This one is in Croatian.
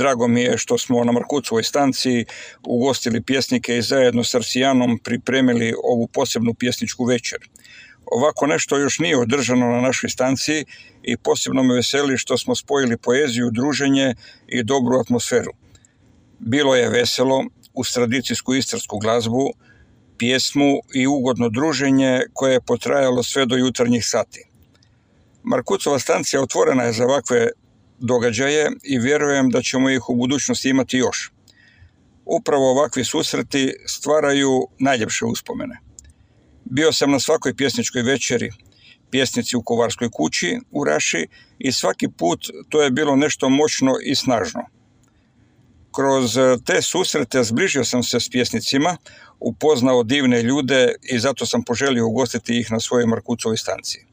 drago mi je što smo na Markucovoj stanciji ugostili pjesnike i zajedno s Arsijanom pripremili ovu posebnu pjesničku večer. Ovako nešto još nije održano na našoj stanciji i posebno me veseli što smo spojili poeziju, druženje i dobru atmosferu. Bilo je veselo, uz tradicijsku istarsku glazbu, pjesmu i ugodno druženje koje je potrajalo sve do jutarnjih sati. Markucova stancija otvorena je za ovakve događaje i vjerujem da ćemo ih u budućnosti imati još. Upravo ovakvi susreti stvaraju najljepše uspomene. Bio sam na svakoj pjesničkoj večeri, pjesnici u Kovarskoj kući u Raši i svaki put to je bilo nešto moćno i snažno. Kroz te susrete zbližio sam se s pjesnicima, upoznao divne ljude i zato sam poželio ugostiti ih na svojoj Markucovoj stanciji.